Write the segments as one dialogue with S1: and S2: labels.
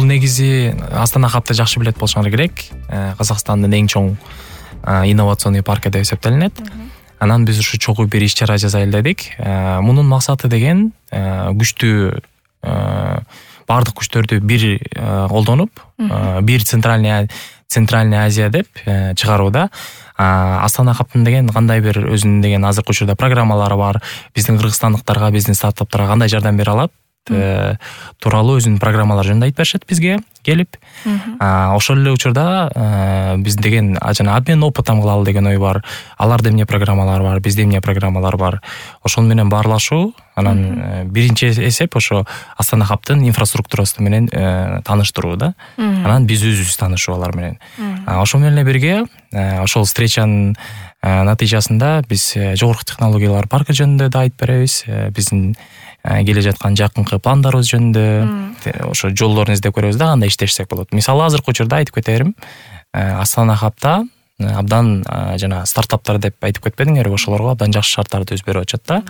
S1: Бул негизи Астана хабты жакшы билет болушуңар керек. Казакстандын эң чоң инновационный паркы деп эсептелинет. Анан биз ушу чогуу бир иш-чара жасайлы дедик. Мунун максаты деген күчтүү бардык күчтөрдү бир колдонуп, бир Центральный Азия деп чыгарууда. Астана хабтын деген кандай бир өзүнүн деген азыркы учурда программалары бар. Биздин кыргызстандыктарга, биздин стартаптарга кандай жардам бере алат тууралуу өзүнүн программалары жөнүндө айтып беришет бизге келип. Ошол эле учурда биз деген жана обмен опытом кылалы деген ой бар. Аларда эмне программалар бар, бизде эмне программалар бар. Ошол менен баарлашуу. Анан биринчи эсеп ошо Астана хабтын инфраструктурасы менен тааныштыруу да. Анан биз өзүбүз таанышуу алар менен. Ошол менен эле бирге ошол встречанын натыйжасында биз жогорку технологиялар паркы жөнүндө да айтып беребиз. Биздин келе жаткан жакынкы пландарыбыз жөнүндө ошо жолдорун издеп көрөбүз да, кандай иштешсек болот. Мисалы азыркы учурда айтып кетерим. Астана хабта абдан жана стартаптар деп айтып кетпедиңерби, ошолорго абдан жакшы шарттарды өз берип атышат да.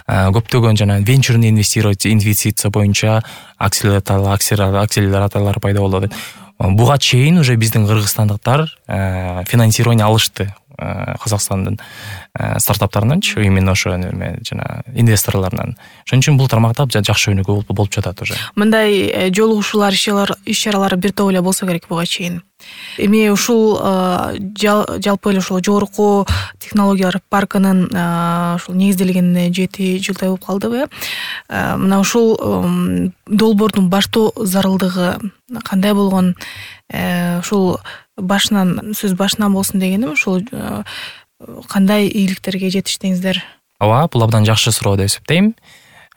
S1: Көптөгөн жана венчурный инвестиция боюнча акселераторлор пайда болду. Буга чейин уже биздин кыргызстандыктар финансирование алышты Казакстандын стартаптарынанчы, именно ошо жана инвесторлорунан. Ошон үчүн бул тармакта жакшы өнүгүү болуп жатат уже.
S2: Мындай жолугушуулар, иш-чаралар бир топ эле болсо керек буга чейин. Эми ушул жалпы эле ушул жогорку технологиялар паркынын ушул негизделгенине 7 жылдай болуп калдыбы? Мына ушул долбоордун баштоо зарылдыгы кандай болгон? Ушул сөз башынан болсун дегеним, ушул кандай ийгиликтерге жетиштиңиздер?
S1: Ооба, бул абдан жакшы суроо деп эсептейм.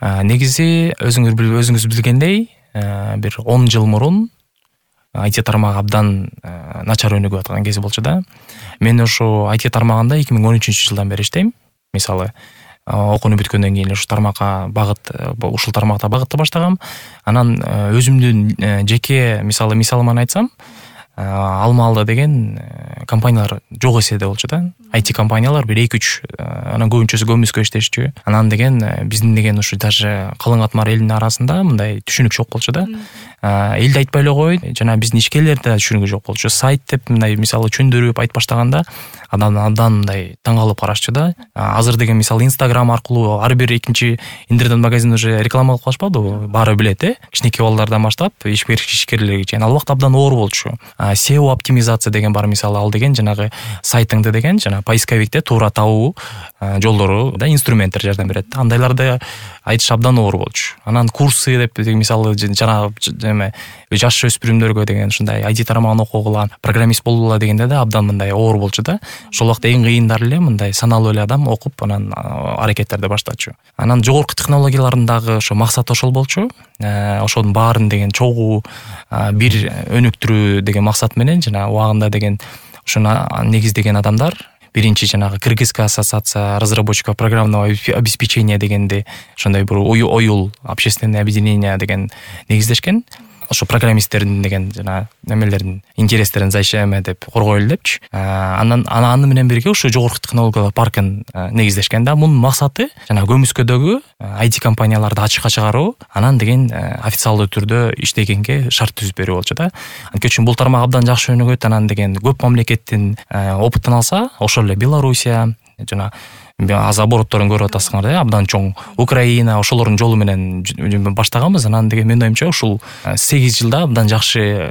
S1: Негизи өзүңүз билгендей, бир 10 жыл мурун IT тармагы абдан начар өнүгүп аткан кези болчу да. Мен ошо IT тармагында 2013-жылдан бери иштейм. Мисалы, окууну бүткөндөн кийин ушул тармакта багытты баштагам. Анан өзүмдүн жеке мисалыман айтсам, Алмалда деген компаниялар жок эседе болчу да. IT компаниялар бир 2-3, анан көбүнчөсү көмүскө иштешчү. Анан деген биздин деген ушу даже калың катмар элдин арасында мындай түшүнүк жок болчу да. Элди айтпай эле кой, жана биздин ишкерлерде да түшүнүгү жок болчу. Сайт деп мындай мисалы чөндүрүп айтып баштаганда абдан мындай таң калып карашчу да. Азыр деген мисалы Instagram аркылуу ар бир экинчи интернет магазин уже реклама кылып калышпадыбы? Баары билет, кичинекей балдардан баштап ишкерлерге чейин. Ал убакта абдан оор болчу. SEO оптимизация деген бар, мисалы ал деген жанагы сайтыңды деген жана поисковикте туура табуу жолдору да, инструменттер жардам берет. Андайларды айтыш абдан оор болчу. Анан курсы деп мисалы жана жаш өспүрүмдөргө деген ушундай IT тармагын окугула, программист болгула дегенде да абдан мындай оор болчу да. Ошол убакта эң кыйындары эле мындай саналуу эле адам окуп анан аракеттерди баштачу. Анан жогорку технологиялардын дагы ошо максаты ошол болчу. Ошонун баарын деген чогуу бир өнүктүрүү деген максат менен жана убагында деген ушуну негиздеген адамдар биринчи жанагы Кыргызская ассоциация разработчиков программного обеспечения дегенди ошондой бир оюл общественное объединение деген негиздешкен. Ошо программисттердин деген жана немелердин интерестерин защищать деп коргойлу депчи. Аны менен бирге ушу жогорку технологиялар паркын негиздешкен да. Мунун максаты жана көмүскөдөгү IT компанияларды ачыкка чыгаруу, анан деген официалдуу түрдө иштегенге шарт түзүп берүү болчу да. Анткени үчүн бул тармак абдан жакшы өнүгөт. Анан деген көп мамлекеттин опытын алса, ошол эле Белоруссия жана аз оборотторун көрүп атасыңар да, абдан чоң Украина, ошолордун жолу менен баштаганбыз. Анан деген менин оюмча ушул 8 жылда абдан жакшы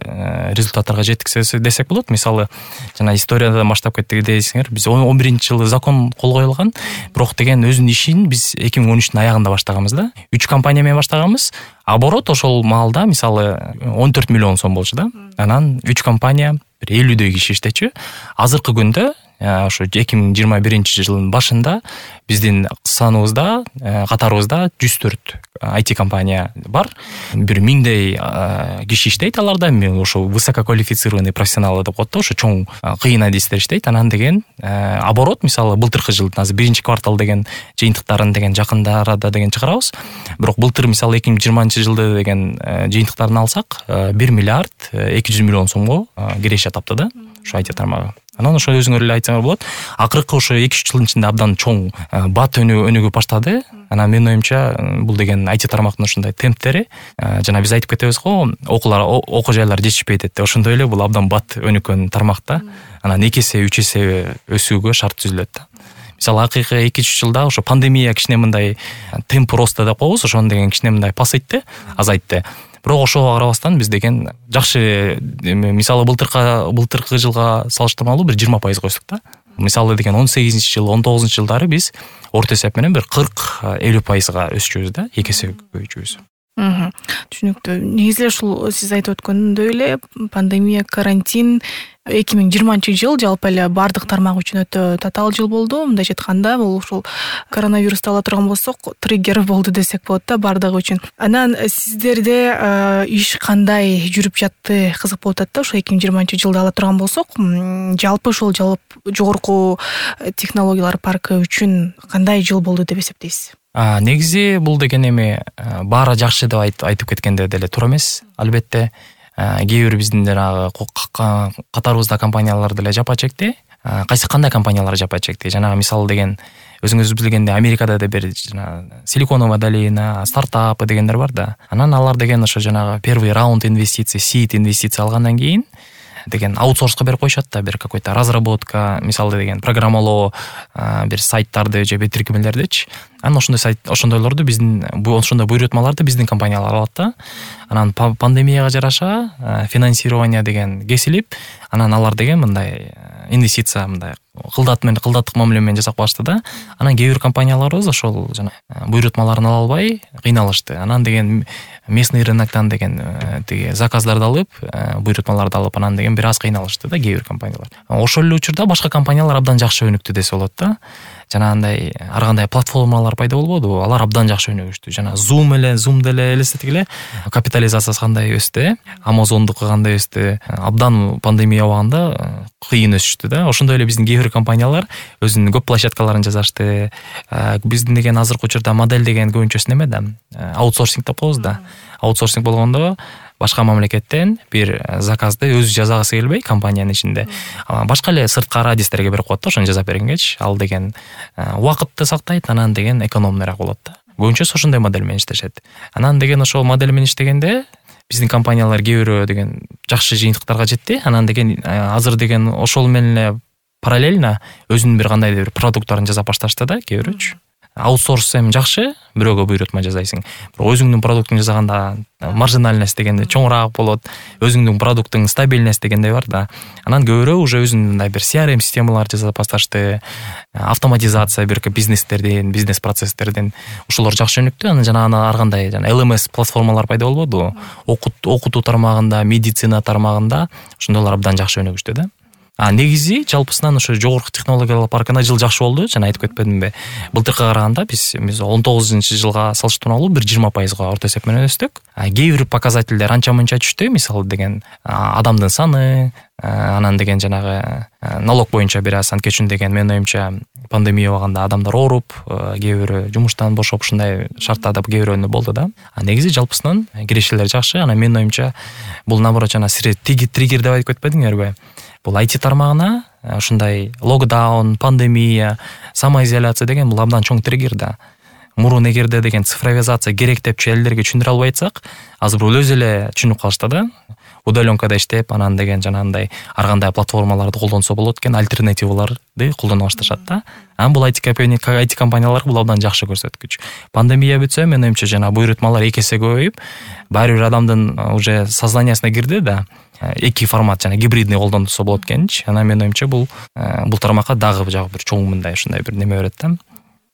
S1: результаттарга жеттик десек болот. Мисалы, жана историядан баштап кеттик десеңер, биз 11-жылы закон кол коюлган, бирок деген өзүнүн ишин биз 2013-түн аягында баштаганбыз да. 3 компания менен баштаганбыз. Оборот ошол маалда мисалы 14 миллион сом болчу да. Анан 3 компания бир 50дөй киши иштечү. Азыркы күндө ошо 2021-жылдын башында биздин саныбызда, катарыбызда 104 IT компания бар. Бир 1000дей киши иштейт аларда. Ошо высококвалифицированный профессионалы деп коет да, ошо чоң кыйын адистер иштейт. Анан деген оборот мисалы былтыркы жылдын азыр 1-квартал деген жыйынтыктарын деген жакында арада деген чыгарабыз. Бирок былтыр мисалы 2020-жылды деген жыйынтыктарын алсак 1 миллиард 200 миллион сомго киреше тапты да. ошо IT тармагы. Анан ошо өзүңөр эле айтсаңар болот. Акыркы ошо 2-3 жылдын ичинде абдан чоң бат өнүгүп баштады. Анан менин оюмча бул деген IT тармактын ушундай темптери жана биз айтып кетебиз го, окуу жайлар жетишпейт деп. Ошондой эле бул абдан бат өнүккөн тармак да. Анан 2 эсе 3 эсе өсүүгө шарт түзүлөт да. Мисалы акыркы 2-3 жылда ошо пандемия кичине мындай темп роста деп коебуз, ошону деген кичине мындай пасайтты, азайтты. Бирок ошого карабастан биз деген жакшы, мисалы былтыркы жылга салыштырмалуу бир 20% өстүк да. Мисалы деген 18-жыл, 19-жылдары биз орто эсеп менен бир 40-50% өсчүбүз да, 2 эсе көбөйчүбүз.
S2: Түшүнүктүү. Негизи ушул сиз айтып өткөндөй эле пандемия, карантин 2020-жыл жалпы эле бардык тармак үчүн өтө татаал жыл болду. Мындайча айтканда, бул ушул коронавирусту ала турган болсок, триггер болду десек болот да бардыгы үчүн. Анан сиздерде иш кандай жүрүп жатты, кызык болуп атат да. Ошо 2020-жылды ала турган болсок, жалпы ушул жогорку технологиялар паркы үчүн кандай жыл болду деп эсептейсиз?
S1: Негизи бул деген эми баары жакшы деп айтып кеткенде деле туура эмес. Албетте кээ бир биздин жанагы катарыбызда компаниялар деле жапа чекти. Кандай компаниялар жапа чекти? Жанагы мисалы деген өзүңүз билгендей Америкада да бир силиконовая долина, стартап дегендер бар да. Анан алар деген ошо жанагы первый раунд инвестиций, seed инвестиция алгандан кийин деген аутсорска берип коюшат да, бир какой-то разработка, мисалы деген программалоо, бир сайттарды же тиркемелердичи. Анан ошондойлорду биздин ошондой буйрутмаларды биздин компаниялар алат да. Анан пандемияга жараша финансирование деген кесилип, анан алар деген мындай инвестиция мындай кылдаттык мамиле менен жасап калышты да. Анан кээ бир компанияларыбыз ошол жана буйрутмаларын ала албай кыйналышты. Анан деген местный рыноктон деген тиги заказдарды алып, буйрутмаларды алып, анан деген бир аз кыйналышты да кээ бир компаниялар. Ошол эле учурда башка компаниялар абдан жакшы өнүктү десе болот да. Жанагындай ар кандай платформалар пайда болбодубу? Алар абдан жакшы өнүгүштү. Жана Zoom деле элестетик эле, капитализациясы кандай өстү, Amazondуку кандай өстү. Абдан пандемия убагында кыйын өсүштү да. Ошондой эле биздин кээ бир компаниялар өзүнүн көп площадкаларын жасашты. Биздин деген азыркы учурда модель деген көбүнчөсү неме да? Аутсорсинг деп коебуз да. Аутсорсинг болгондо башка мамлекеттен бир заказды өзү жасагысы келбей компаниянын ичинде башка эле сырткы радистерге берип коет да, ошону жасап бергенчи. Ал деген убакытты сактайт, анан деген экономнураак болот да. Көбүнчөсү ошондой модель менен иштешет. Анан деген ошол модель менен иштегенде биздин компаниялар кээ бирөө деген жакшы жыйынтыктарга жетти. Анан деген азыр деген ошол менен эле параллельно өзүнүн бир кандайдыр бир продукттарын жасап башташты да кээ бирөөчү. Аутсорс эми жакшы, бирөөгө буйрутма жасайсың. Бирок өзүңдүн продуктуңду жасаганда маржинальность дегенде чоңураак болот. Өзүңдүн продукттуң стабильность дегенде бар да. Анан көбүрөөк уже өзүнүн мындай бир CRM системалар жасап башташты. Автоматизация бир бизнестердин, бизнес процесстердин ошолор жакшы өнүктү. Анан жана ар кандай LMS платформалар пайда болбодубу? Окутуу тармагында, медицина тармагында ошондойлор абдан жакшы өнүгүштү да. Негизи жалпысынан ошо жогорку технологиялар паркына жыл жакшы болду. Жана айтып кетпедимби? Былтыркыга караганда биз 19-жылга салыштырмалуу бир 20% орто эсеп менен өстүк. Кээ бир показательдер анча-мынча түштү. Мисалы деген адамдын саны, анан деген жанагы налог боюнча бир аз анткечүн деген менин оюмча пандемия убагында адамдар ооруп, кээ бирөө жумуштан бошоп ушундай шарттарда кээ бирөөнү болду да. Негизи жалпысынан кирешелер жакшы. Анан менин оюмча бул наоборот жана триггер деп айтып кетпедиңерби? Бул IT тармагына ушундай локдаун, пандемия, самоизоляция деген бул абдан чоң триггер да. Мурун эгерде деген цифровизация керек депчи элдерге түшүндүрө албай атсак, азыр бул өзү эле түшүнүп калышты да. Удаленкада иштеп, анан деген жанагындай ар кандай платформаларды колдонсо болот экен, альтернативаларды колдоно башташат да. Анан бул IT компаниялар бул абдан жакшы көрсөткүч. Пандемия бүтсө, менин оюмча жана буйрутмалар 2 эсе көбөйүп, баары бир адамдын уже сознаниясына кирди да. Эки формат жана гибридный колдонсо болот экенчи. Анан менин оюмча бул тармакка дагы бир чоң мындай ушундай бир неме берет да.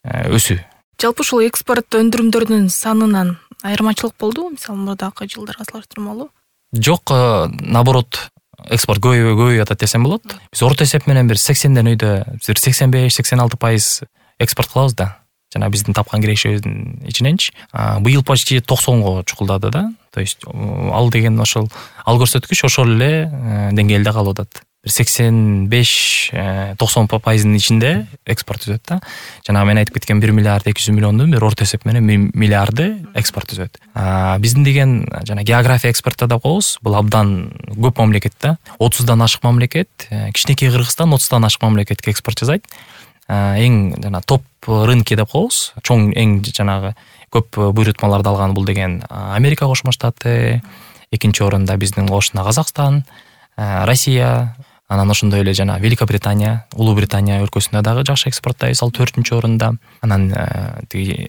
S1: Өсүү.
S2: Жалпы ушул экспорт өндүрүмдөрдүн санынан айырмачылык болдубу? Мисалы мурдакы жылдарга салыштырмалуу?
S1: Жок, наоборот, экспорт көбөйүп атат десем болот. Биз орто эсеп менен бир 80ден өйдө бир 85-86% экспорт кылабыз да. Жана биздин тапкан кирешибиздин ичиненчи. Быйыл почти 90го чукулдады да. То есть ал деген ошол ал көрсөткүч ошол эле деңгээлде калып атат. 85-90% ичинде экспорт түзөт да. Жана мен айтып кеткен 1 миллиард 200 миллиондун бир орто эсеп менен 1 миллиарды экспорт түзөт. Биздин деген жана география экспортто деп коебуз. Бул абдан көп мамлекет да. 30дан ашык мамлекет, кичинекей Кыргызстан 30дан ашык мамлекетке экспорт жасайт. Эң жана топ рынки деп коебуз. Чоң эң жанагы көп буйрутмаларды алган бул деген Америка Кошмо Штаты, экинчи орунда биздин кошуна Казакстан, Россия, анан ошондой эле жана Великобритания, Улуу Британия өлкөсүнө дагы жакшы экспорттойбуз, ал 4-чү орунда. Анан тиги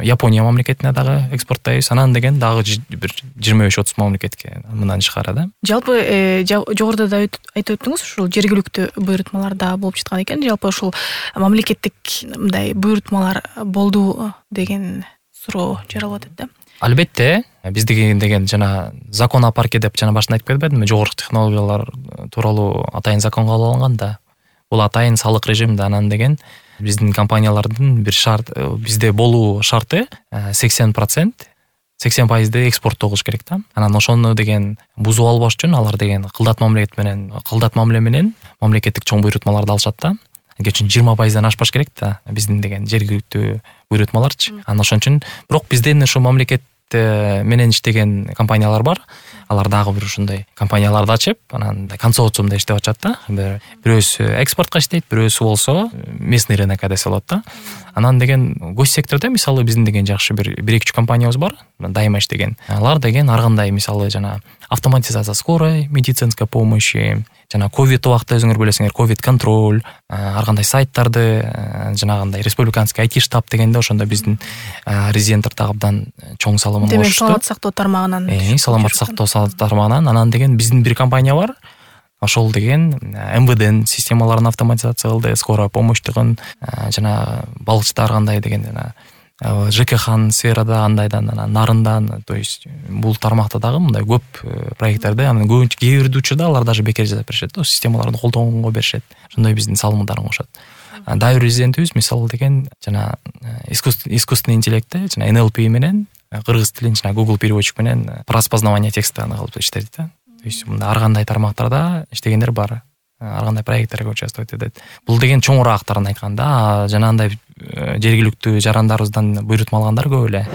S1: Япония мамлекетине дагы экспорттойбуз. Анан деген дагы бир 25-30 мамлекетке мындан тышкары да.
S2: Жалпы жогоруда да айтып өттүңүз, ушул жергиликтүү буйрутмаларда болуп жаткан экен. Жалпы ушул мамлекеттик мындай буйрутмалар болду деген суроо жаралып атат да.
S1: Албетте, биздики деген жана закон о парке деп жана башында айтып кетпедимби, жогорку технологиялар тууралуу атайын закон кабыл алынган да. Бул атайын салык режим да. Анан деген биздин компаниялардын бир шарт, бизде болуу шарты 80% экспорттоо кылыш керек да. Анан ошону деген бузуп албаш үчүн алар деген кылдат мамиле менен мамлекеттик чоң буйрутмаларды алышат да. Үчүн 20%дан ашпаш керек да биздин деген жергиликтүү буйрутмаларчы. Анан ошон үчүн бирок бизден ошо мамлекет менен иштеген компаниялар бар. Алар дагы бир ушундай компанияларды ачып, анан консорциумда иштеп атышат да. Бирөөсү экспортко иштейт, бирөөсү болсо местный рынокко десе болот да. Анан деген госсектордо мисалы биздин деген жакшы бир 1-2 компаниябыз бар, дайыма иштеген. Алар деген ар кандай мисалы жана автоматизация скорой медицинской помощи, жана ковид убакта өзүңөр билесиңер, ковид контроль, ар кандай сайттарды, жанагындай республиканский IT штаб дегенде ошондо биздин резиденттер дагы абдан чоң салымын кошушту.
S2: Демек саламаттык сактоо тармагынан.
S1: Саламаттык сактоо тармагынан. Анан деген биздин бир компания бар. Ошол деген МВДнын системаларын автоматизация кылды, скорая помощьтугун, жана балыкчылар кандай деген жана ЖКХ сферада андайдан, нарындан, то есть бул тармакта дагы мындай көп проекттерде, анан көбүнчө кээ бир учурда алар даже бекер жасап беришет да, системаларды колдонгонго беришет. Ошондой биздин салымдарын кошот. Дайыр резидентибиз мисалы деген жана искусственный интеллектте, жана NLP менен кыргыз тилин жана Google переводчик менен распознавание текста кылып иштейт да. То есть мында ар кандай тармактарда иштегендер бар. Ар кандай проекттерге участвовать этет. Бул деген чоңураактарын айтканда, жанагындай жергиликтүү жарандарыбыздан буйрутма алгандар көп эле.